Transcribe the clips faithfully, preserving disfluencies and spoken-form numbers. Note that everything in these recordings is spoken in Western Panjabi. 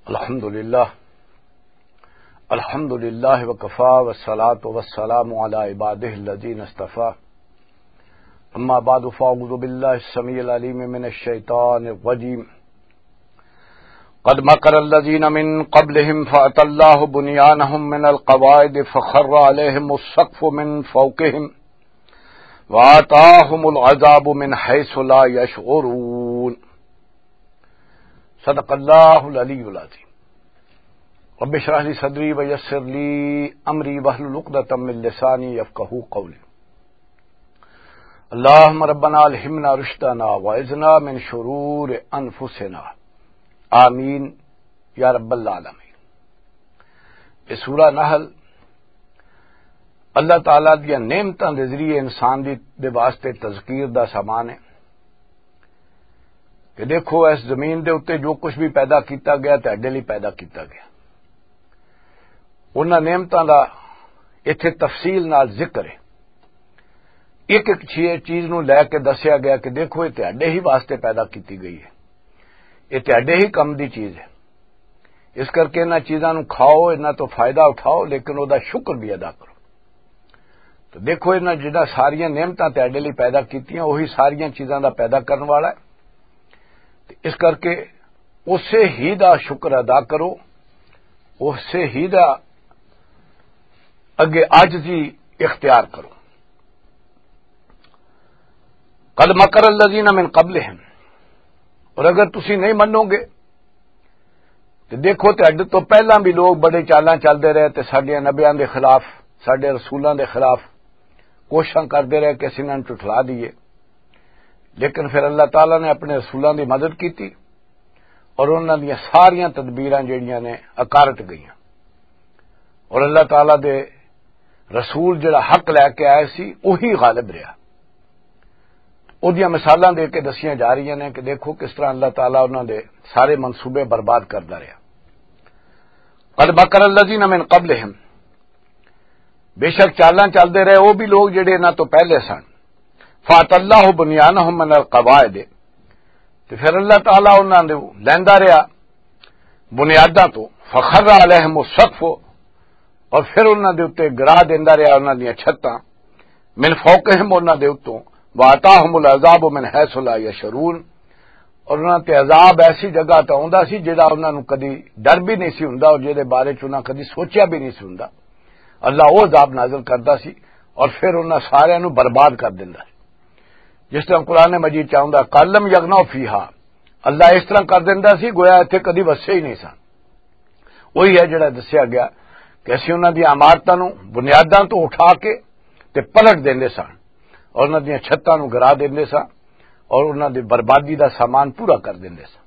الحمد لله. الحمد لله وكفى، والصلاة والسلام على عباده الذين اصطفى. أما بعد، فأعوذ بالله السميع العليم من الشيطان الرجيم. قد مكر الذين من قبلهم فأتى الله بنيانهم من القواعد فخر عليهم السقف من فوقهم وآتاهم العذاب من حيث لا يشعرون. صدق اللہ العلی العظیم. رب اشرح لی صدری ویسر لی امری واحلل عقدۃ من لسانی یفقہوا قولی. اللہم ربنا الہمنا رشدنا واعذنا من شرور انفسنا. آمین یا رب العالمین. یہ سورہ نحل اللہ تعالیٰ دیاں نعمتاں دے ذریعے انسان دی، دے واسطے تذکیر دا سامان ہے کہ دیکھو، اس زمین دے اُتے جو کچھ بھی پیدا کیتا گیا، تہاڈے لئی پیدا کیتا گیا. انہاں نعمتاں دا ایتھے تفصیل نال ذکر ہے. ایک ایک چھی-، چیز نوں لے کے دسیا گیا کہ دیکھو، یہ تہاڈے ہی واسطے پیدا کیتی گئی ہے، یہ تہاڈے ہی کم دی چیز ہے. اس کرکے انہاں چیزاں نوں کھاؤ، انہاں تو فائدہ اٹھاؤ، لیکن او دا شکر بھی ادا کرو. تو دیکھو، انہاں جڑا ساریاں نعمتاں تہاڈے لئی پیدا کیتیاں، وہی ساریاں چیزاں دا پیدا کرن والا ہے. تے اس کرکے اسے ہی دا شکر ادا کرو، اسے ہی دا اگے عاجزی اختیار کرو. قد مکر الذین من قبلہم، اور اگر تسی نہیں منو گے، تے دیکھو، تہاڈے تو پہلاں بھی لوگ بڑے چالاں چلدے رہے تے ساڈیاں نبیاں دے خلاف، ساڈے رسولاں دے خلاف کوششاں کردے رہے کہ اسیں انہاں نوں ٹھٹلا دئیے. لیکن پھر اللہ تعالیٰ نے اپنے رسولاں دی مدد کیتی اور انہاں دیاں ساریاں تدبیراں جڑیاں نے اکارٹ گئیاں. اور اللہ تعالیٰ دے رسول جڑا حق لے کے آئے سی، وہی غالب رہا. اودیاں مثالاں دے کے دسیاں جا رہیاں نے کہ دیکھو، کس طرح اللہ تعالیٰ انہاں دے سارے منصوبے برباد کردا رہیا. قد مکر الذین من قبلہم، بے شک چالاں چلدے رہے وہ بھی لوگ جڑے انہاں تو پہلے سن. فات اللہ بنیانہم من القواعد، تے پھر اللہ تعالیٰ انہاں دے لیندا رہیا بنیاداں تو. فخر علیہم السقف، اور پھر انہاں دے اُتے گرا دیندا رہیا انہاں دیاں چھتاں. من فوقہم، انہاں دے اُتوں. وآتاہم العذاب من حیث لا یشعرون، اور انہاں تے عذاب ایسی جگہ تے آوندا سی جڑا انہاں نوں کدی ڈر بھی نہیں سی ہوندا اور جہدے بارے چ انہاں کدی سوچیا بھی نہیں سی ہوندا. اللہ وہ عذاب نازل کردا سی اور پھر انہاں ساریاں نوں برباد کر دیندا سی. جس طرح قرآن مجید چ آوندا، کالم یغنوا فیہا، اللہ اس طرح کر دیندا سی گویا اتھے کدی وسے ہی نہیں سن. وہی ہے جڑا دسیا گیا کہ اسی انہاں دی عمارتاں نوں بنیاداں تو اٹھا کے تے پلٹ دیندے سن اور انہاں دیاں چھتاں نوں گرا دیندے سن اور انہاں دی بربادی دا سامان پورا کر دیندے سن.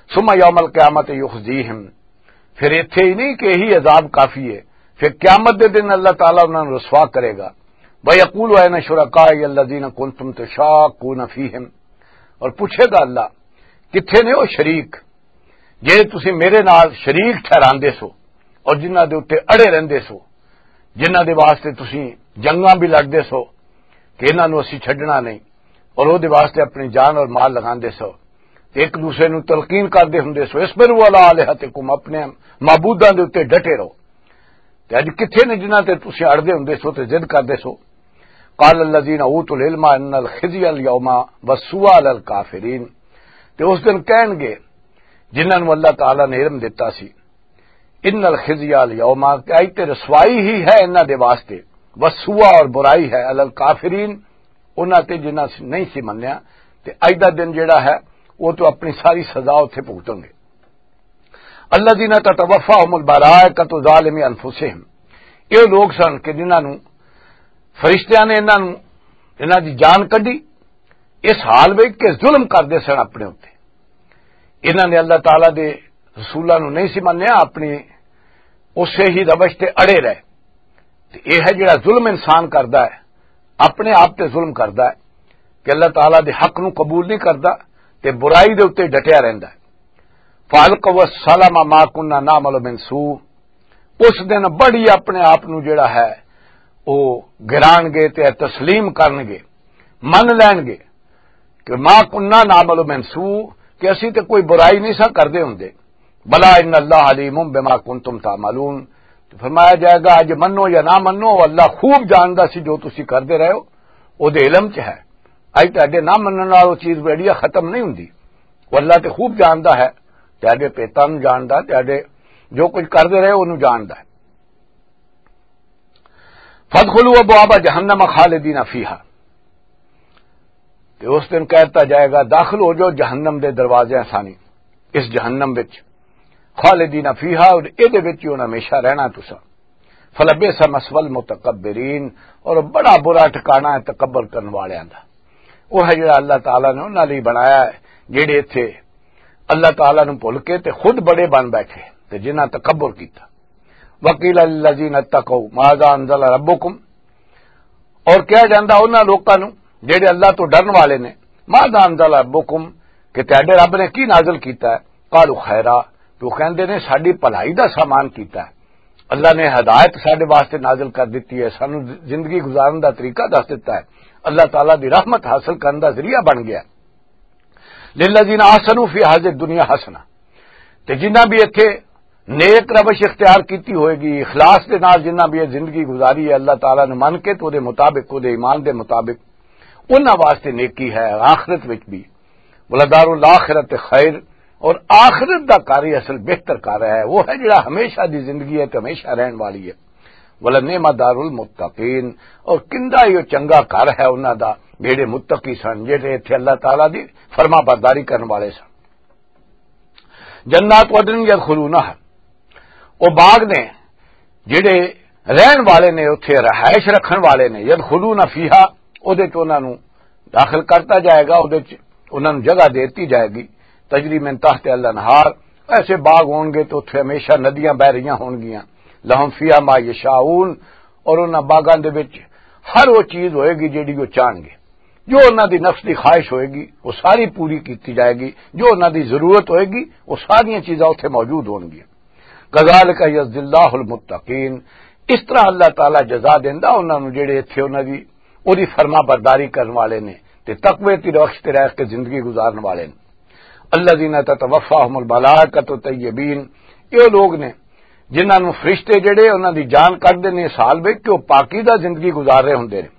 ثم یوم القیامت یخزیہم، پھر ایتھے ہی نہیں کہ یہی عذاب کافی ہے، پھر قیامت دے دن اللہ تعالیٰ انہاں نوں رسوا کرے گا. وَيَقُولُ أَيْنَ شُرَكَائِيَ الَّذِينَ كُنْتُمْ تُشَاقُّونَ فِيهِمْ، اور پوچھے گا اللہ، کتھے نے وہ شریک جہڑے تسی میرے نال شریک ٹھہراندے سو اور جنہاں دے اُتے اڑے رہندے سو، جنہاں دے واسطے تسی جنگاں بھی لڑدے سو کہ انہاں نوں اسی چھڈنا نہیں، اور او دے واسطے اپنی جان اور مال لگاندے سو، تے ایک دوسرے نوں تلقین کردے ہوندے سو، اصبروا علی آلہتکم، اپنے معبوداں دے اُتے ڈٹے رہو. تے اج کتھے نے جنہاں تے تسی اڑدے ہوندے سو تے ضد کردے سو؟ قال الذین اوتوا العلم ان الخزی الیوم والسوء علی الکافرین، تے اس دن کہن گے جنہاں نوں اللہ تعالیٰ نے علم دتا سی، ان الخزی الیوم، کہ اج تے رسوائی ہی ہے انہاں دے واسطے، والسوء، اور برائی ہے، علی الکافرین، انہاں تے جنہاں نہیں سی منیا، تے اج دا دن جڑا ہے وہ تو اپنی ساری سزا اتھے بھگتن گے. الذین تتوفاہم الملائکۃ ظالمی انفسہم، یہ لوگ سن کہ جنہاں نوں فرشتیاں نے انہاں نوں، انہاں دی جان کڈی اس حال وچ کہ ظلم کردے سن اپنے اُتے. انہاں نے اللہ تعالیٰ دے رسولاں نوں نہیں سی منیا، اپنی اسے ہی روش تے اڑے رہے. تے یہ ہے جڑا ظلم انسان کردا ہے، اپنے آپ تے ظلم کردا ہے کہ اللہ تعالیٰ دے حق نوں قبول نہیں کردا تے برائی دے اُتے ڈٹیا رہندا ہے. فَأَلْقَوْا السَّلَمَ مَا كُنَّا نَعْمَلُ مِنْ سُوءٍ، اس دن بڑی اپنے آپ نوں جڑا ہے وہ گران گے تے تسلیم کرن گے، من لین گے کہ ما کننا نعمل من سوء، کہ اسی تے کوئی برائی نہیں سا کردے ہوندے. بلا ان اللہ علیم بما کنتم تعملون۔ تو فرمایا جائے گا، اج منو یا نہ منو، اللہ خوب جاندا سی جو تسی کردے رہے ہو، او دے علم چ ہے۔ اج تہاڈے نہ منن نال او چیز ویڑیا ختم نہیں ہوندی۔ او اللہ تے خوب جاندا ہے، تہاڈے پیتاں نوں جاندا، تہاڈے جو کچھ کردے رہے اونوں جاندا ہے۔ فادخلوا ابواب جہنم خالدین فیہا۔ تے اس دن کہتا جائے گا، داخل ہو جاؤ جہنم دے دروازے سانی، اس جہنم وچ، خالدین فیہا، اور اے دے وچ ہی ہن ہمیشہ رہنا تساں۔ فلبئس مثوی المتکبرین، اور بڑا برا ٹھکانہ ہے تکبر کرن والیاں دا۔ وہ ہے جڑا اللہ تعالیٰ نے انہاں لئی بنایا ہے، جڑے ایتھے اللہ تعالیٰ نوں بھل کے تے خود بڑے بن بیٹھے تے جنہاں تکبر کیتا۔ وقیل للذین اتقوا ماذا انزل ربکم، اور کہا جاندا انہاں لوکاں نوں جڑے اللہ تو ڈرن والے نے، ماذا انزل ربکم، کہ تہاڈے رب نے کی نازل کیتا ہے؟ قالوا خیرا، تو کہندے نے ساڈی بھلائی دا سامان کیتا ہے۔ اللہ نے ہدایت ساڈے واسطے نازل کر دتی ہے، سانو زندگی گزارن دا طریقہ دس دتا ہے، اللہ تعالیٰ دی رحمت حاصل کرن دا ذریعہ بن گیا۔ للذین احسنوا فی ہذہ الدنیا حسنہ، تے جنہاں بھی اتھے نیک روش اختیار کیتی ہوئے گی، اخلاص دے نال جنہاں بھی یہ زندگی گزاری ہے اللہ تعالیٰ نے من کے، تو دے مطابق، تو دے ایمان دے مطابق، انہاں واسطے نیکی ہے آخرت وچ بھی۔ ولدار الاخرۃ خیر، اور آخرت دا گھر ہی اصل بہتر گھر ہے، وہ ہے جڑا ہمیشہ دی زندگی ہے تے ہمیشہ رہن والی ہے۔ ولنعم دار المتقین، اور کندا ہی وہ چنگا گھر ہے انہاں دا، جڑے متقی سن، جڑے ایتھے اللہ تعالیٰ دی فرما برداری کرن والے سن۔ جنات عدن یدخلونہا، او باغ نے جڑے رہن والے نے، اتھے رہائش رکھن والے نے، یدخلون فیہا، او دے چ انہاں نوں داخل کرتا جائے گا، او دے چ انہاں نوں جگہ دیتی جائے گی۔ تجری من تحت الانہار، ایسے باغ ہون گے تو اتھے ہمیشہ ندیاں بہ رہیاں ہون گیاں۔ لہم فیہا ما یشاؤون، اور انہاں باغاں دے وچ ہر وہ چیز ہوئے گی جیڑی وہ چاہن گے۔ جو انہاں دی نفس دی خواہش ہوئے گی، وہ ساری پوری کیتی جائے گی۔ جو انہاں دی ضرورت ہوئے گی، وہ ساریاں چیزاں اتھے موجود ہون گیاں۔ کذالک یجزی اللہ المتقین، اس طرح اللہ تعالیٰ جزا دیندا انہاں نوں جڑے ایتھے انہاں دی، اوہدی فرما برداری کرن والے نے تے تقوی تے رخش تے رہ کے زندگی گزارن والے نے۔ الذین تتوفاہم الملائکۃ طیبین، یہ لوگ نے جنہاں نوں فرشتے جڑے انہاں دی جان کڈ دے نے سال وچ کہ وہ پاکیزہ زندگی گزار رہے ہوندے نے۔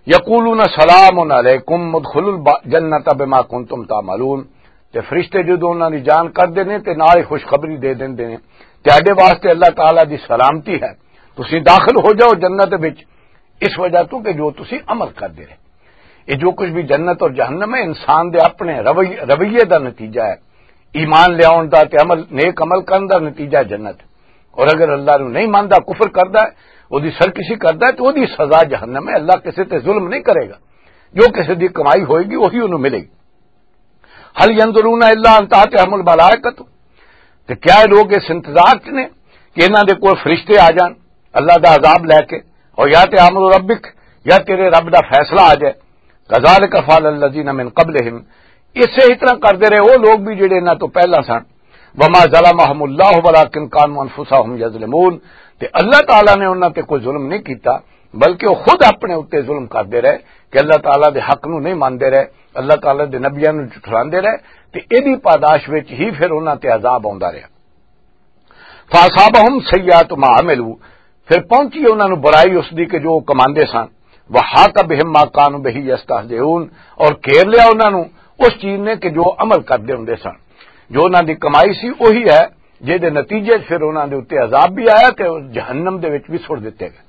یقولون سلام علیکم ادخلوا الجنۃ بما کنتم تعملون، تے فرشتے جدوں انہاں دی جان کڈ دے نے تے نال ہی خوشخبری دے دیندے نے، تہاڈے واسطے اللہ تعالیٰ دی سلامتی ہے، تسی داخل ہو جاؤ جنت وچ، اس وجہ تو کہ جو تسی عمل کردے رہے۔ یہ جو کچھ بھی جنت اور جہنم ہے، انسان دے اپنے روی-، رویے دا نتیجہ ہے۔ ایمان لیاؤن دا تے عمل، نیک عمل کرن دا نتیجہ ہے جنت۔ اور اگر اللہ نو نہیں ماندا، کفر کردا ہے، او دی سرکشی کردا ہے، تو او دی سزا جہنم ہے۔ اللہ کسے تے ظلم نہیں کرے گا۔ جو کسے دی کمائی ہوئے گی، وہی انہوں ملے گی۔ هل ينظرون إلا أن تأتيهم الملائكة، تے کیا یہ لوگ اس انتظار چ نے کہ انہاں دے کول فرشتے آ جان اللہ دا عذاب لے کے، اور یا تے امر ربک، یا تیرے رب دا فیصلہ آ جائے۔ كذلك فعل الذين من قبلهم، اسے ہی طرح کردے رہے وہ لوگ بھی جڑے انہاں تو پہلا سن۔ وما ظلمهم الله ولكن كانوا أنفسهم يظلمون، تے اللہ تعالیٰ نے انہاں تے کوئی ظلم نہیں کیتا، بلکہ وہ خود اپنے اُتے ظلم کردے رہے کہ اللہ تعالیٰ دے حق نو نہیں ماندے رہے، اللہ تعالیٰ دے نبیاں نو جھٹلاندے رہے، تے ایدی پاداش وچ ہی پھر انہاں تے عذاب آوندا رہیا۔ فاصابهم سیئات ما عملوا، پھر پہنچی انہاں نو برائی اس دی کہ جو وہ کماندے سن۔ وحاق بهم ما كانوا به يستهزئون، اور گھیر لیا انہاں نو اس چیز نے کہ جو عمل کردے ہوندے سن۔ جو انہاں دی کمائی سی، وہی ہے جے دے نتیجے چ پھر انہاں دے اُتے عذاب بھی آیا تے جہنم دے وچ بھی سٹ دتے گئے۔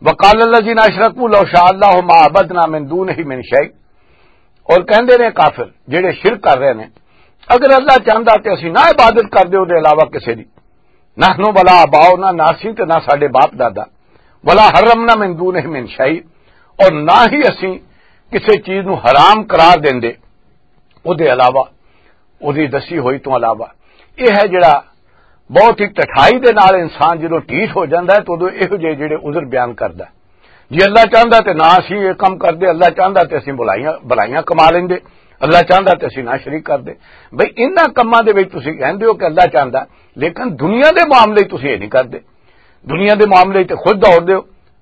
وقال الذين اشركوا لو شاء الله ما عبدنا من دونه من شيء، اور کہندے نے کافر جڑے شرک کر رہے نے، اگر اللہ چاہندا تے اسی نہ عبادت کردے اودے علاوہ کسے دی، نحن ولا آباؤنا، نہ اسی تے نہ ساڈے باپ دادا، ولا حرمنا من دونه من شيء، اور نہ ہی اسی کسے چیز نو حرام قرار دیندے اودے علاوہ، اودی دسی ہوئی تو علاوہ۔ یہ ہے جڑا بہت ہی ٹٹھائی دے نال انسان جدوں ٹھیٹ ہو جاندا ہے، تو اودوں ایہو جہے جڑے عذر بیان کردا ہے۔ جی اللہ چاہندا تے نہ اسی یہ کم کردے، اللہ چاہندا تے اسی بلائیاں، بلائیاں کما لیندے، اللہ چاہندا تے اسی نہ شریک کردے۔ بھئی، انہاں کماں دے وچ تسی کہندے ہو کہ اللہ چاہندا، لیکن دنیا دے معاملے وچ تسی یہ نہیں کردے۔ دنیا دے معاملے وچ تے خود دوڑ دیو،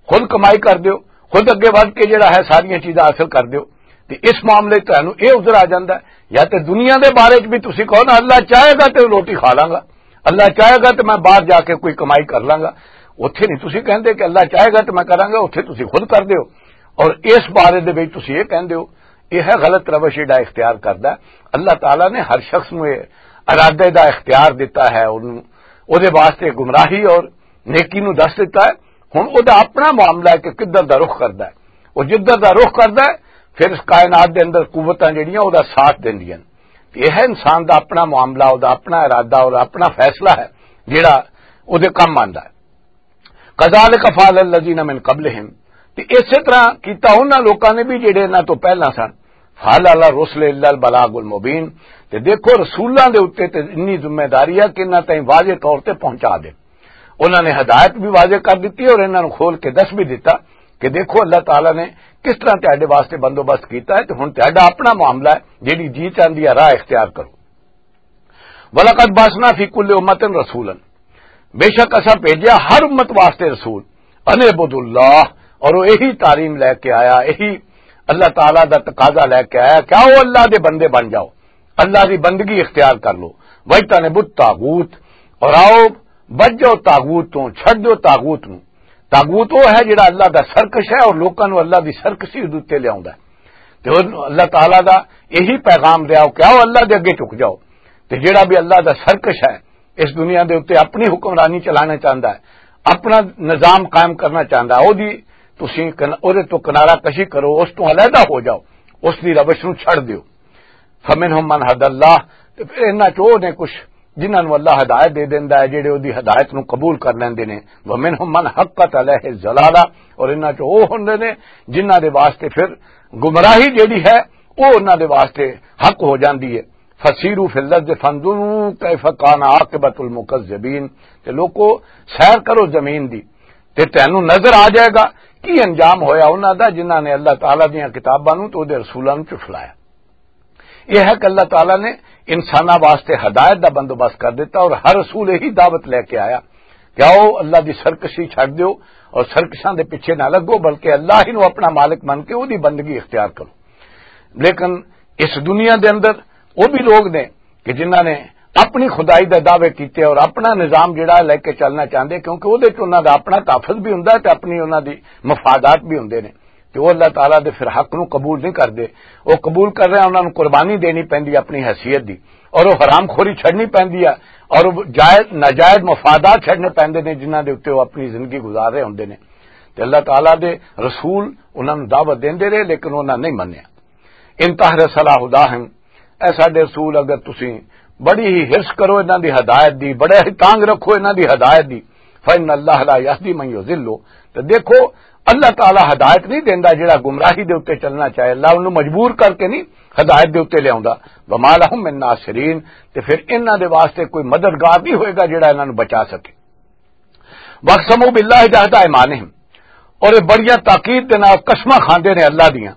خود کمائی کر دیو، خود اگے ودھ کے جڑا ہے ساریاں چیزاں حاصل کر دیو۔ تے اس معاملے وچ تانوں یہ عذر آ جاندا ہے، یا تے دنیا دے بارے چ بھی تسی کہو نا، "اللہ چاہے گا تے روٹی کھا لاں گا، اللہ چاہے گا تے میں باہر جا کے کوئی کمائی کر لاں گا۔" اوتھے نہیں تسی کہندے کہ اللہ چاہے گا تے میں کراں گا، اوتھے تسی خود کر دیو۔ اور اس بارے دے وچ تسی یہ کہندے ہو، یہ ہے غلط روش جڑا اختیار کردا ہے۔ اللہ تعالیٰ نے ہر شخص نوں یہ ارادے دا اختیار دتا ہے، اونوں، اودے واسطے گمراہی اور نیکی نوں دس دتا ہے۔ ہن اودے اپنا معاملہ ہے کہ کدھر دا رخ کردا ہے۔ وہ جدھر دا رخ کردا ہے، پھر اس کائنات دے اندر قوتاں جڑیاں اودے ساتھ دیندیاں۔ تے یہ ہے انسان دا اپنا معاملہ، اودے اپنا ارادہ اور اپنا فیصلہ ہے جڑا اودے کم آندا ہے۔ کذالک فعل الذین من قبلہم، تے اسی طرح کیتا انہاں لوکاں نے بھی جڑے انہاں تو پہلاں سن۔ فعل علی الرسل الا البلاغ المبین، تے دیکھو رسولاں دے اُتے تے انی ذمہ داری ہے کہ انہاں تائیں واضح طور تے پہنچا دے۔ انہاں نے ہدایت بھی واضح کر دتی اور انہاں نوں کھول کے دس بھی دتا کہ دیکھو اللہ تعالیٰ نے کس طرح تہاڈے واسطے بندوبست کیتا ہے، تے ہن تہاڈا اپنا معاملہ ہے، جیڑی جی چاہندی ہے راہ اختیار کرو۔ وَلَقَدْ بَعَثْنَا فِي كُلِّ أُمَّةٍ رَسُولًا، بے شک اساں بھیجیا ہر امت واسطے رسول، ان اعبدوا اللہ، اور وہ یہی تعلیم لے کے آیا، یہی اللہ تعالیٰ دا تقاضا لے کے آیا کہ آؤ اللہ دے بندے بن جاؤ، اللہ دی بندگی اختیار کر لو۔ وَاجْتَنِبُوا الطَّاغُوتَ، اور آؤ بچ جاؤ طاغوت تو، چھڈ دو طاغوت نو۔ طاغوت وہ ہے جڑا اللہ دا سرکش ہے اور لوکاں نو اللہ دی سرکشی دے اُتے لے آوندا ہے۔ تے ہن اللہ تعالیٰ دا یہی پیغام دیا کہ آؤ اللہ دے اگے جھک جاؤ۔ تے جڑا بھی اللہ دا سرکش ہے، اس دنیا دے اُتے اپنی حکمرانی چلانا چاہندا ہے، اپنا نظام قائم کرنا چاہندا ہے، او دی تسی کن-، اودے تو کنارہ کشی کرو، اس تو علیحدہ ہو جاؤ، اس دی روش نو چھڈ دیو۔ فمنهم من هدى الله، تے پھر انہاں چوں نے کچھ جنہاں نوں اللہ ہدایت دے دیندا ہے، جڑے اودی ہدایت نوں قبول کر لیندے نے۔ ومنهم من حقت عليه الضلالة، اور انہاں چوں او ہوندے نے جنہاں دے واسطے پھر گمراہی جڑی ہے، او انہاں دے واسطے حق ہو جاندی ہے۔ فسیروا فی الارض فانظروا کیف کان عاقبۃ المکذبین، تے لوکو، سیر کرو زمین دی، تے تینوں نظر آ جائے گا کی انجام ہویا انہاں دا، جنہاں نے اللہ تعالیٰ دیاں کتاباں نوں تے اودے رسولاں نوں جھٹلایا۔ یہ ہے کہ اللہ تعالیٰ نے انساناں واسطے ہدایت دا بندوبست کر دیتا اور ہر رسول یہی دعوت لے کے آیا کہ آؤ اللہ دی سرکشی چھڈ دیو اور سرکشاں دے پیچھے نہ لگو، بلکہ اللہ ہی نو اپنا مالک من کے اودی بندگی اختیار کرو۔ لیکن اس دنیا دے اندر وہ بھی لوگ نے کہ جنہاں نے اپنی خدائی دے دعوے کیتے اور اپنا نظام جڑا لے کے چلنا چاہندے، کیونکہ اودے چ انہاں دا اپنا تحفظ بھی ہوندا ہے تے اپنی انہاں دی مفادات بھی ہوندے نے۔ تے وہ اللہ تعالیٰ دے پھر حق نو قبول نہیں کردے۔ وہ قبول کر رہے ہیں، انہاں نوں قربانی دینی پیندی اپنی حیثیت دی، اور وہ حرام خوری چھڑنی پیندی ہے، اور وہ جائز، ناجائز مفادات چھڑنے پیندے نے، جنہاں دے اُتے وہ اپنی زندگی گزار رہے ہوندے نے۔ تے اللہ تعالیٰ دے رسول انہاں نوں دعوت دیندے رہے، لیکن انہاں نہیں منیا۔ ان تحرص علی ہداہم، اے ساڈے رسول، اگر تسی بڑی ہی حرص کرو انہاں دی ہدایت دی، بڑے ہی تانگ رکھو انہاں دی ہدایت دی، فإن اللہ لا یہدی من یضل، تو دیکھو، اللہ تعالیٰ ہدایت نہیں دیندا جڑا گمراہی دے اُتے چلنا چاہے، اللہ انہوں مجبور کر کے نہیں ہدایت دے اُتے لے آوندا۔ وما لہم من ناصرین، تے پھر انہاں دے واسطے کوئی مددگار نہیں ہوئے گا جڑا انہاں نوں بچا سکے۔ وَأَقْسَمُوا بِاللَّهِ جَهْدَ أَيْمَانِهِمْ، اور یہ بڑیاں تاکید دے نال قسماں کھاندے نے اللہ دیاں،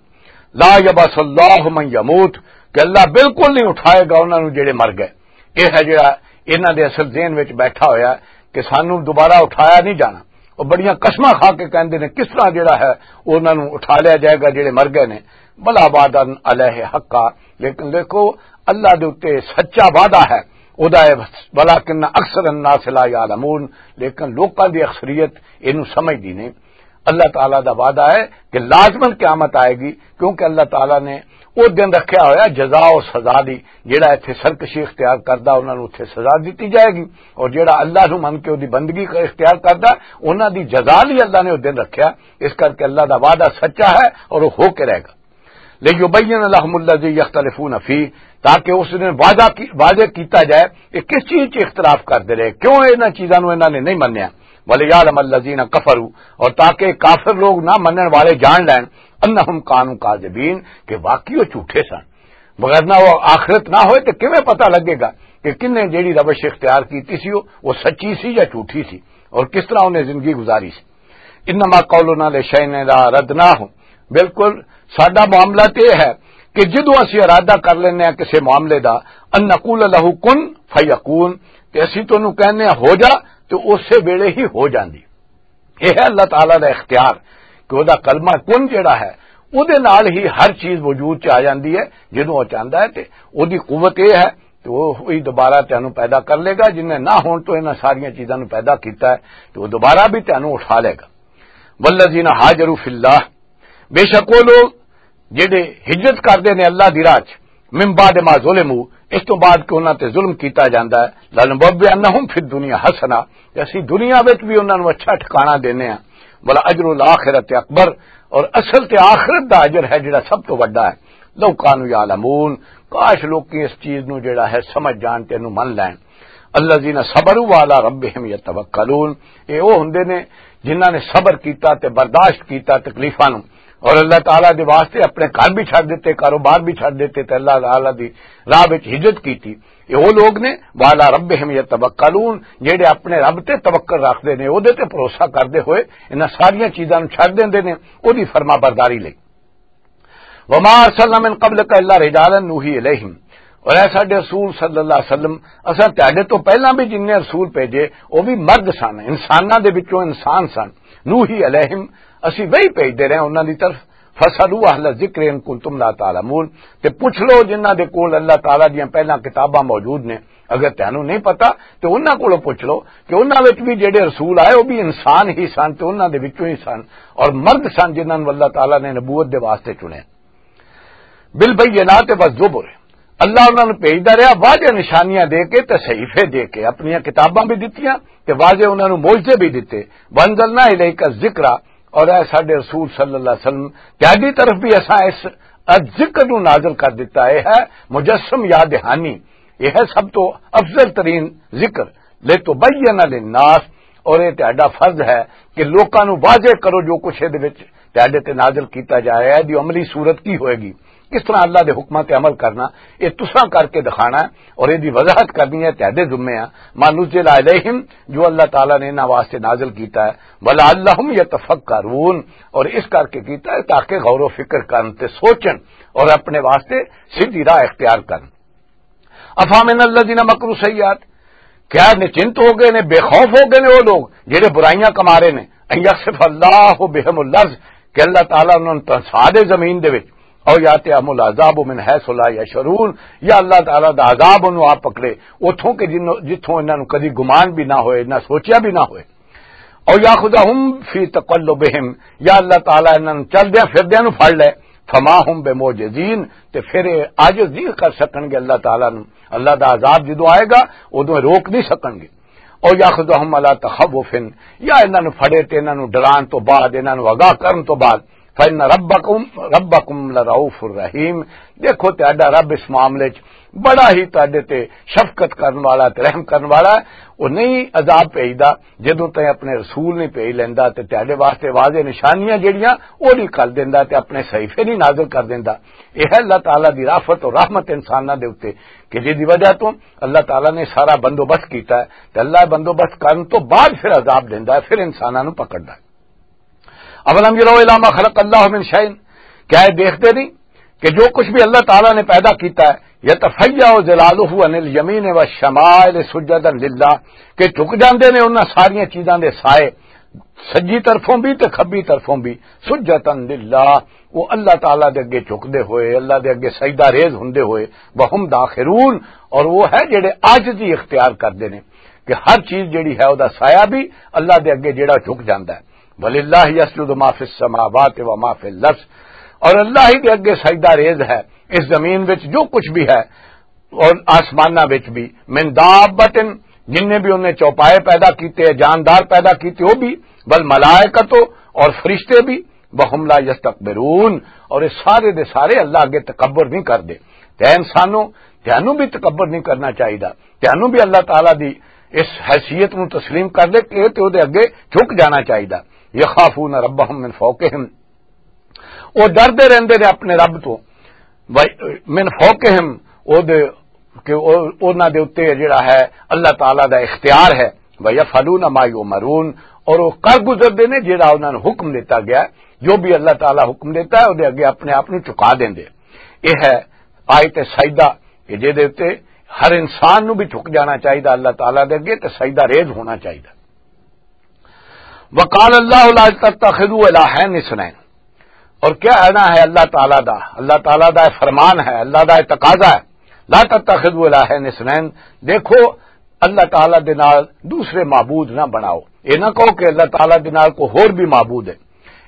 لَا يَبْعَثُ اللَّهُ مَن يَمُوتُ، کہ اللہ بالکل نہیں اٹھائے گا انہاں نوں جڑے مر گئے۔ یہ ہے جڑا انہاں دے اصل ذہن وچ بیٹھا ہویا ہے کہ سانوں دوبارہ اٹھایا نہیں جانا۔ وہ بڑیاں قسماں کھا کے کہندے نے، کس طرح جڑا ہے انہاں نوں اٹھا لیا جائے گا جڑے مر گئے نے۔ بلا وعدا علیہ حقا، لیکن دیکھو، اللہ دے اُتے سچا وعدہ ہے، او دا ہے، ولکن اکثر الناس لا یعلمون، لیکن لوکاں دی اکثریت اینوں سمجھدی نہیں۔ اللہ تعالیٰ دا وعدہ ہے کہ لازماً قیامت آئے گی، کیونکہ اللہ تعالیٰ نے او دن رکھیا ہویا جزا اور سزا دی، جیڑا ایتھے سرکشی اختیار کردا، انہاں نوں اوتھے سزا دتی جائے گی، اور جیڑا اللہ نوں من کے اودی بندگی اختیار کردا، انہاں دی جزا لئی اللہ نے او دن رکھیا۔ اس کر کے اللہ دا وعدہ سچا ہے اور وہ ہو کے رہے گا۔ لِيُبَيِّنَ لَهُمُ الَّذِي يَخْتَلِفُونَ فِيهِ، تاکہ اس دن وعدہ کی، واضح کیتا جائے کہ کس چیز چ اختلاف کردے رہے، کیوں انہاں چیزاں نوں انہاں نے نہیں منیا۔ وَلِيَعْلَمَ الَّذِينَ كَفَرُوا، اور تاکہ کافر لوگ نہ منن والے جان لین، أَنَّهُمْ كَانُوا كَاذِبِينَ، کہ واقعی وہ جھوٹے سن۔ وگرنہ وہ آخرت نہ ہوئے تو کیویں پتہ لگے گا کہ کن نے جیڑی روش اختیار کیتی سی، وہ، وہ سچی سی یا جھوٹی سی، اور کس طرح انہیں زندگی گزاری سی۔ انما قولنا لشیء اذا اردناہ، بالکل ساڈا معاملہ تے یہ ہے کہ جدوں اسی ارادہ کر لینے ہیں کسی معاملے دا، ان نقول لہ کن فیکون، تے اسی تو انہوں کہنے ہیں ہو جا، تے اسے ویلے ہی ہو جاندی۔ یہ ہے اللہ تعالیٰ دا اختیار کہ وہ دا کلمہ کن جڑا ہے، اودے نال ہی ہر چیز وجود چ آ جاندی ہے۔ جدوں او چاہندا ہے تے اودی قوت یہ ہے کہ وہ وہی دوبارہ تینوں پیدا کر لے گا، جن نے نہ ہون تو انہاں ساریاں چیزاں نوں پیدا کیتا ہے، تے وہ دوبارہ بھی تینوں اٹھا لے گا۔ والذین ہاجروا فی اللہ، بے شک وہ لوگ جڑے ہجرت کردے نے اللہ دی راہ چ، من بعد ما ظلموا، اس تو بعد کہ انہاں تے ظلم کیتا جاندا ہے، لنبوئنہم فی الدنیا حسنہ، کہ اسی دنیا وچ بھی انہاں نوں اچھا ٹھکانہ دینے ہاں، ولا اجر الاخرۃ اکبر، اور اصل تے آخرت دا اجر ہے جڑا سب تو وڈا ہے۔ لو کانوا یعلمون، کاش لوکی اس چیز نوں جڑا ہے سمجھ جان تے نوں من لین۔ الذین صبروا وعلی ربہم یتوکلون، اے او ہوندے نے جنہاں نے صبر کیتا تے برداشت کیتا تکلیفاں نوں، اور اللہ تعالیٰ دے واسطے اپنے گھر بھی چھڈ دیتے، کاروبار بھی چھڈ دیتے تے اللہ تعالیٰ دی راہ وچ ہجرت کیتی۔ اے او لوگ نے، وعلی ربہم یتوکلون، جڑے اپنے رب تے توکل رکھدے نے، او دے تے بھروسہ کردے ہوئے انہاں ساریاں چیزاں نوں چھڈ دیندے نے، او دی فرما برداری لئی۔ وما ارسلنا من قبلک الا رجالا نوحی الیہم، اور اے ساڈے رسول صلی اللہ علیہ وسلم، اساں تہاڈے تو پہلاں بھی جننے رسول بھیجے، او بھی مرد سن، انساناں دے وچوں انسان سن۔ نوحی الیہم، اسی وحی بھیجدے رہے انہاں دی طرف۔ فاسألوا اہل الذکر ان کنتم لا تعلمون، تے پوچھ لو جنہاں دے کول اللہ تعالیٰ دیاں پہلاں کتاباں موجود نے، اگر تینوں نہیں پتا تے انہاں کولوں پوچھ لو کہ انہاں وچ بھی جڑے رسول آئے، وہ بھی انسان ہی سن تے انہاں دے وچوں ہی سن، اور مرد سن جنہاں نوں اللہ تعالیٰ نے نبوت دے واسطے چنیا۔ بالبینات والزبر، اللہ انہاں نوں بھیجدا رہیا واضح نشانیاں دے کے تے صحیفے دے کے، اپنیاں کتاباں بھی دتیاں تے واضح انہاں نوں معجزے بھی دتے۔ وانزلنا الیک الذکر، اور اے ساڈے رسول صلی اللہ علیہ وسلم، تہاڈی طرف بھی اساں اس ذکر نوں نازل کر دتا۔ اے ہے مجسم یا دہانی، اے ہے سب تو افضل ترین ذکر۔ لتبین للناس، اور اے تہاڈا فرض ہے کہ لوکاں نوں واضح کرو جو کچھ اے دے وچ تہاڈے تے نازل کیتا جا رہا ہے، دی عملی صورت کی ہوئے گی، کس طرح اللہ دے حکماں تے عمل کرنا، اے تساں کر کے دکھانا ہے اور اے دی وضاحت کرنی ہے، تہاڈے ذمے ہے۔ ما نزل الیہم، جو اللہ تعالیٰ نے انہاں واسطے نازل کیتا ہے، ولعلہم یتفکرون، اور اس کر کے کیتا ہے تاکہ غور و فکر کرن تے سوچن اور اپنے واسطے سیدھی راہ اختیار کرن۔ افامن الذین مکروا السیئات، کیا نچنت ہو گئے نے، بے خوف ہو گئے نے وہ لوگ جڑے برائیاں کما رہے نے؟ ان یخسف اللہ بہم الارض، کہ اللہ تعالیٰ انہاں نوں تنسا دے زمین دے وچ، او یاتیہم العذاب من حیث لا یشعرون، یا اللہ تعالیٰ دا عذاب انہوں آ پکڑے اتھوں کہ جنوں، جتھوں انہاں نوں کدی گمان بھی نہ ہوئے، نہ سوچیا بھی نہ ہوئے۔ او یاخذہم فی تقلبہم، یا اللہ تعالیٰ انہاں نوں چلدیاں فردیاں نوں پھڑ لے، فما ہم بمعجزین، تے پھر اے عاجز نہیں کر سکنگے اللہ تعالیٰ نوں۔ اللہ دا عذاب جدوں آئے گا، ادوں روک نہیں سکنگے۔ او یاخذہم علی تخوف، یا انہاں نوں پھڑے تے انہاں نوں ڈران تو بعد، انہاں نوں آگاہ کرن تو بعد، فإن ربکم، ربکم لرؤوف الرحیم۔ دیکھو تہاڈا رب اس معاملے چ بڑا ہی تہاڈے تے شفقت کرن والا تے رحم کرن والا ہے۔ وہ نہیں عذاب بھیجدا، جدوں تائیں اپنے رسول نہیں بھیج لیندا تے تہاڈے واسطے واضح نشانیاں جڑیاں، وہ نہیں کر دیندا تے اپنے صحیفے نہیں نازل کر دیندا۔ یہ ہے اللہ تعالیٰ دی رافت اور رحمت انساناں دے اُتے، کہ جس دی وجہ تو اللہ تعالیٰ نے سارا بندوبست کیتا ہے، تے اللہ بندوبست کرن تو بعد پھر عذاب دیندا ہے، پھر انساناں نوں پکڑدا ہے۔ اولم یروا الی ما خلق اللہ من شیء، کیا یہ دیکھتے نہیں کہ جو کچھ بھی اللہ تعالیٰ نے پیدا کیتا ہے، یتفیع ظلالہ عن الیمین والشمائل سجدا للہ، کہ جھک جاندے نے انہاں ساریاں چیزاں دے سائے، سجی طرفوں بھی تے کھبی طرفوں بھی، سجدا للہ، وہ اللہ تعالیٰ دے اگے جھکدے ہوئے، اللہ دے اگے سجدہ ریز ہوندے ہوئے، وہم داخرون، اور وہ ہے جڑے عاجزی اختیار کردے نے کہ ہر چیز جڑی ہے، او دا سایہ بھی اللہ دے اگے جڑا جھک جاندا ہے۔ وللہ یسجد ما فی السماوات و ما فی الارض، اور اللہ ہی دے اگے سجدہ ریز ہے اس زمین وچ جو کچھ بھی ہے اور آسماناں وچ بھی، من دابۃ، جن نے بھی انہیں چوپائے پیدا کیتے، جاندار پیدا کیتے، وہ بھی، والملائکۃ، اور فرشتے بھی، وہم لا یستکبرون، اور یہ سارے دے سارے اللہ اگے تکبر نہیں کردے۔ تے انسانوں، تینوں بھی تکبر نہیں کرنا چاہیے، تینوں بھی اللہ تعالیٰ دی اس حیثیت نو تسلیم کر لے کہ تے او دے اگے جھک جانا چاہیے۔ یخافون ربہم من فوقہم، او ڈردے رہندے نے اپنے رب تو، و من فوقہم، او دے، کہ او، انہاں دے اُتے جڑا ہے اللہ تعالیٰ دا اختیار ہے، ویفعلون ما یؤمرون، اور وہ کر گزردے نے جڑا انہاں نوں حکم دیتا گیا ہے۔ جو بھی اللہ تعالیٰ حکم دیتا ہے، او دے اگے اپنے آپ نوں جھکا دیندے۔ یہ ہے آیت سجدہ، کہ جے دے اُتے ہر انسان نوں بھی جھک جانا چاہیے اللہ تعالیٰ دے اگے تے سجدہ ریز ہونا چاہیے۔ وقال اللہ لا تتخذوا الہین اثنین، اور کیا آنا ہے اللہ تعالیٰ دا؟ اللہ تعالیٰ دا یہ فرمان ہے، اللہ دا یہ تقاضا ہے، "لا تتخذوا الہین اثنین"، دیکھو، اللہ تعالیٰ دے نال دوسرے معبود نہ بناؤ۔ یہ نہ کہو کہ اللہ تعالیٰ دے نال کوئی ہور بھی معبود ہے۔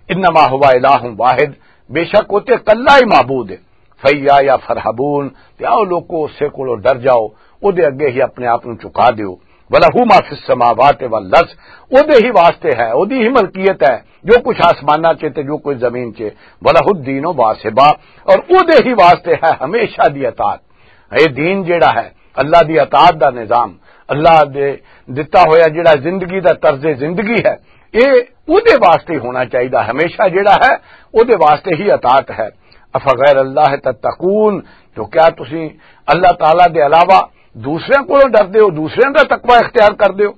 "انما ہوا الہ واحد"، بے شک وہ تے کلا ہی معبود ہے۔ "فیا یا فرحبون"، تے آؤ لوکو، اسے کولوں ڈر جاؤ، او دے اگے ہی اپنے آپ نوں چکا دیو۔ "ولہ ما فی السماوات والارض"، او دے ہی واسطے ہے، او دی ہی ملکیت ہے جو کچھ آسماناں چ تے جو کچھ زمین چ۔ "ولہ الدین واصبا"، اور او دے ہی واسطے ہے ہمیشہ دی اطاعت۔ اے دین جیڑا ہے، اللہ دی اطاعت دا نظام، اللہ دے دتا ہویا جیڑا زندگی دا طرز زندگی ہے، اے او دے واسطے ہی ہونا چاہیدا، ہمیشہ جیڑا ہے، او دے واسطے ہی اطاعت ہے۔ "افغیر اللہ تتقون"، تو کیا تسی اللہ تعالیٰ دے علاوہ دوسرے کولوں ڈردے ہو، دوسرے دا تقوی اختیار کردے ہو؟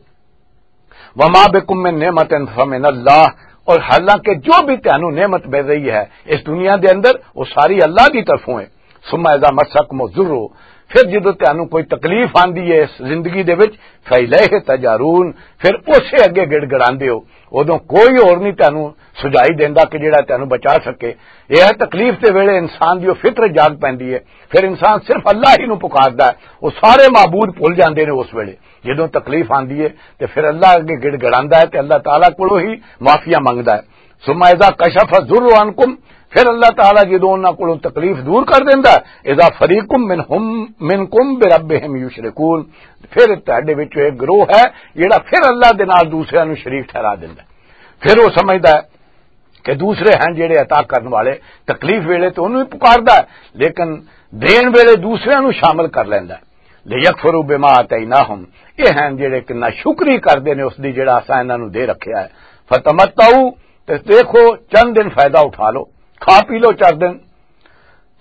"وما بکم من نعمت فمن اللہ"، اور حالانکہ جو بھی تانوں نعمت مل رہی ہے اس دنیا دے اندر، وہ ساری اللہ دی طرفوں ہے۔ "ثم اذا مسکم الضر"، پھر جدوں تانوں کوئی تکلیف آندی ہے اس زندگی دے وچ، "فالیہ تجارون"، پھر اسے اگے گڑ گڑاندے ہو۔ ادوں کوئی اور نہیں تانوں سجائی دیندا کہ جڑا تانوں بچا سکے۔ یہ ہے تکلیف دے ویلے انسان دی وہ فطرت جاگ پیندی ہے، پھر انسان صرف اللہ ہی نوں پکاردا ہے، وہ سارے معبود بھول جاندے نے اس ویلے۔ جدوں تکلیف آندی ہے تے پھر اللہ اگے گڑ گڑاندا ہے تے اللہ تعالیٰ کولوں ہی معافیاں منگدا ہے۔ "ثم اذا کشف الضر عنکم"، پھر اللہ تعالیٰ جدوں انہاں کولوں تکلیف دور کر دیندا ہے، "اذا فریق منہم، منکم بربہم یشرکون"، پھر تہاڈے وچوں ایک گروہ ہے جڑا پھر اللہ دے نال دوسرے نوں شریک ٹھہرا دیندا ہے۔ پھر وہ سمجھدا ہے کہ دوسرے ہیں جڑے عطا کرن والے، تکلیف ویلے تو انہوں ہی پکاردا ہے، لیکن دین ویلے دوسرے نوں شامل کر لیندا ہے۔ "لیکفروا بما آتیناہم"، یہ ہیں جڑے کہ ناشکری کردے نے اس دی جڑا اساں انہاں نوں دے رکھیا ہے۔ "فتمتعوا"، تے دیکھو چند دن فائدہ اٹھا لو، کھا پی لو چار دن۔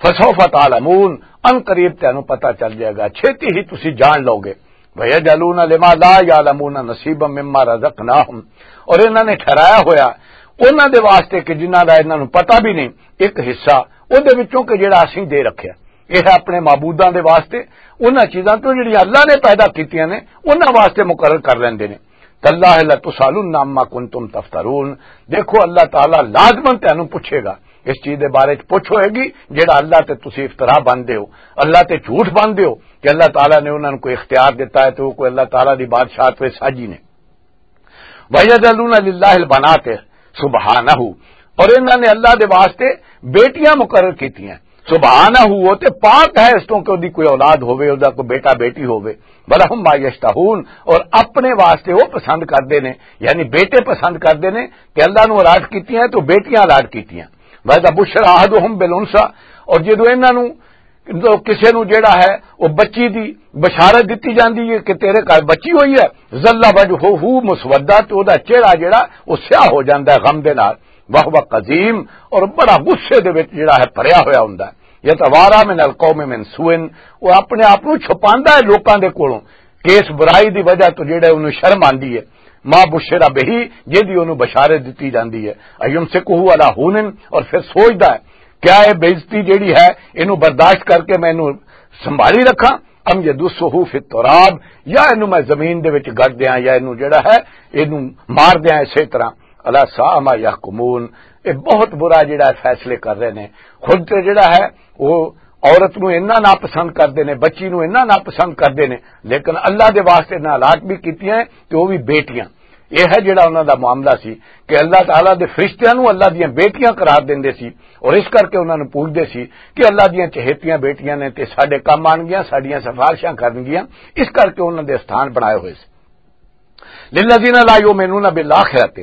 "فسوف تعلمون"، ان قریب تینوں پتہ چل جائے گا، چھیتی ہی تسی جان لو گے۔ "ویجعلون لما لا یعلمون نصیبا مما رزقناہم"، اور انہاں نے ٹھہرایا ہویا انہاں دے واسطے کہ جنہاں دا انہاں نوں پتہ بھی نہیں، ایک حصہ او دے وچوں کہ جڑا اسیں دے رکھیا۔ یہ ہے اپنے معبوداں دے واسطے، انہاں چیزاں تو جڑیاں اللہ نے پیدا کیتیاں نے، انہاں واسطے مقرر کر لیندے نے۔ "تاللہ لتسألن عما کنتم تفترون"، دیکھو اللہ تعالیٰ لازماً تینوں پوچھے گا، اس چیز دے بارے چ پوچھ ہوئے گی جڑا اللہ تے تسی افترا بندے ہو، اللہ تے جھوٹ بندے ہو کہ اللہ تعالیٰ نے انہاں نوں کوئی اختیار دیتا ہے تے وہ کوئی اللہ تعالیٰ دی بادشاہت وچ ساجی نے۔ "وَيَجْعَلُونَ لِلَّهِ الْبَنَاتِ سُبْحَانَهُ"، اور انہاں نے اللہ دے واسطے بیٹیاں مقرر کیتیاں۔ سبحانہ، وہ تے پاک ہے اس تو کہ اودی کوئی اولاد ہووے، اودے کوئی بیٹا بیٹی ہووے۔ "وَلَهُم مَّا يَشْتَهُونَ"، اور اپنے واسطے وہ پسند کردے نے، یعنی بیٹے پسند کردے نے، تے اللہ نو الاٹ کیتیاں تو بیٹیاں الاٹ کیتیاں۔ "وَإِذَا بُشِّرَ أَحَدُهُمْ بِالْأُنثَىٰ"، اور جدوں انہاں نو، کسے نو جڑا ہے، وہ بچی دی بشارت دتی جاندی ہے کہ تیرے گھر بچی ہوئی ہے، "ظَلَّ وَجْهُهُ مُسْوَدًّا"، تو اودہ چہرہ جڑا، وہ سیاہ ہو جاندا ہے غم دے نال۔ "وَهُوَ كَظِيمٌ"، اور بڑا غصے دے وچ جڑا ہے، بھریا ہویا ہوندا ہے۔ "يَتَوَارَىٰ مِنَ الْقَوْمِ مِنْ سُوءِ"، وہ اپنے آپ نو چھپاندا ہے لوکاں دے کولوں، کہ اس برائی دی وجہ تو جڑا انہوں شرم آندی ہے۔ "مَا بُشِّرَ بِهِ"، جدی انہوں بشارت دتی جاندی ہے۔ "أَيُمْسِكُهُ عَلَىٰ هُونٍ"، اور پھر سوچدا ہے، کیا یہ بے عزتی جڑی ہے، انہوں برداشت کر کے میں انہوں سنبھالی رکھاں؟ "أَمْ يَدُسُّهُ فِي التُّرَابِ"، یا انہوں میں زمین دے وچ گڑ دیاں، یا انہوں جڑا ہے، انہوں مار دیاں اسی طرح۔ "أَلَا سَاءَ مَا يَحْكُمُونَ"، یہ بہت برا جڑا ہے فیصلے کر رہے نے۔ خود تے جڑا ہے، وہ عورت نو اتنا ناپسند کردے نے، بچی نو اتنا ناپسند کردے نے، لیکن اللہ دے واسطے نہ الاٹ بھی کیتیاں ہیں تے وہ بھی بیٹیاں۔ یہ ہے جڑا انہاں دا معاملہ سی کہ اللہ تعالیٰ دے فرشتیاں نو اللہ دیاں بیٹیاں قرار دیندے سی، اور اس کر کے انہاں نو پوچھدے سی کہ اللہ دیاں چہیتیاں بیٹیاں نے تے ساڈے کم آن گیاں، ساڈیاں سفارشاں کرن گیاں، اس کر کے انہاں دے استھان بنائے ہوئے سی۔ "لِلَّذِينَ لَا يُؤْمِنُونَ بِالْآخِرَةِ"،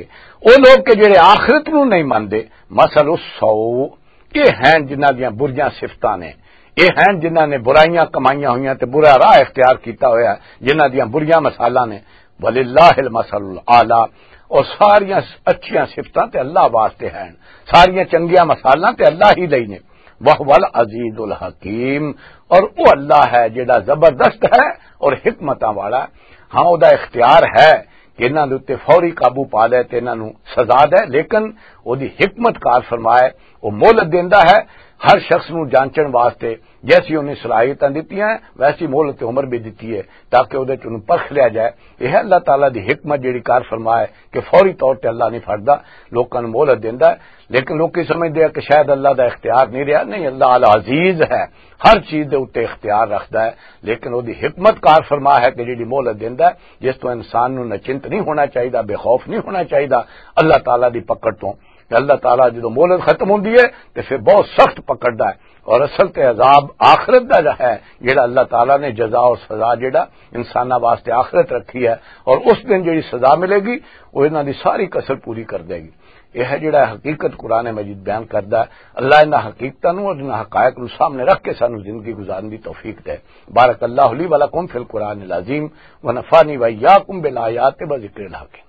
او لوگ کہ جڑے آخرت نو نہیں مانتے، "مَثَلُ السَّوْءِ"، یہ ہیں جنہاں دیاں بریاں صفتاں نے، یہ ہیں جنہاں نے برائیاں کمائیاں ہوئیاں تے برا راہ اختیار کیتا ہویا ہے، جنہاں دیاں بریاں مثالاں نے۔ "وَلِلَّهِ الْمَثَلُ الْأَعْلَىٰ"، اور ساریاں اچھیاں صفتاں تے اللہ واسطے ہیں، ساریاں چنگیاں مثالاں تے اللہ ہی لئی نے۔ "وَهُوَ الْعَزِيزُ الْحَكِيمُ"، اور وہ اللہ ہے جڑا زبردست ہے اور حکمتاں والا۔ ہاں، وہ دا اختیار ہے کہ انہاں دے اُتے فوری قابو پا لے تے انہاں نوں سزا دے، لیکن وہ دی حکمت کار فرمائے، وہ مہلت دیندا ہے ہر شخص نوں جانچن واسطے، جیسی انہیں صلاحیتاں دتیاں ہیں، ویسی مہلت عمر بھی دتی ہے، تاکہ اودے چ انہوں پرکھ لیا جائے۔ یہ ہے اللہ تعالیٰ دی حکمت، جیڑی کار فرما ہے کہ فوری طور تے اللہ نہیں پھڑدا، لوکاں نوں مہلت دیندا ہے۔ لیکن لوکی سمجھدے ہیں کہ شاید اللہ دا اختیار نہیں رہیا۔ نہیں، اللہ العزیز ہے، ہر چیز دے اُتے اختیار رکھدا ہے۔ لیکن اودی حکمت کار فرما ہے کہ جیڑی مہلت دیندا ہے، جس تو انسان نوں نچنت نہیں ہونا چاہیدا، بے خوف نہیں ہونا چاہیدا اللہ تعالیٰ دی پکڑ تو۔ کہ اللہ تعالیٰ جدوں مہلت ختم ہوندی ہے، تے پھر بہت سخت پکڑدا ہے۔ اور اصل تے عذاب آخرت دا جو ہے، جڑا اللہ تعالیٰ نے جزا اور سزا جڑا انساناں واسطے آخرت رکھی ہے، اور اس دن جڑی سزا ملے گی، وہ انہاں دی ساری کسر پوری کر دے گی۔ یہ ہے جڑا حقیقت قرآن مجید بیان کردا ہے۔ اللہ انہاں حقیقتاں نوں اور انہاں حقائق نوں سامنے رکھ کے سانوں زندگی گزارن دی توفیق دے۔ بارک اللہ لی و لکم فی القرآن العظیم، و نفعنی و ایاکم بالآیات و ذکر الحکیم۔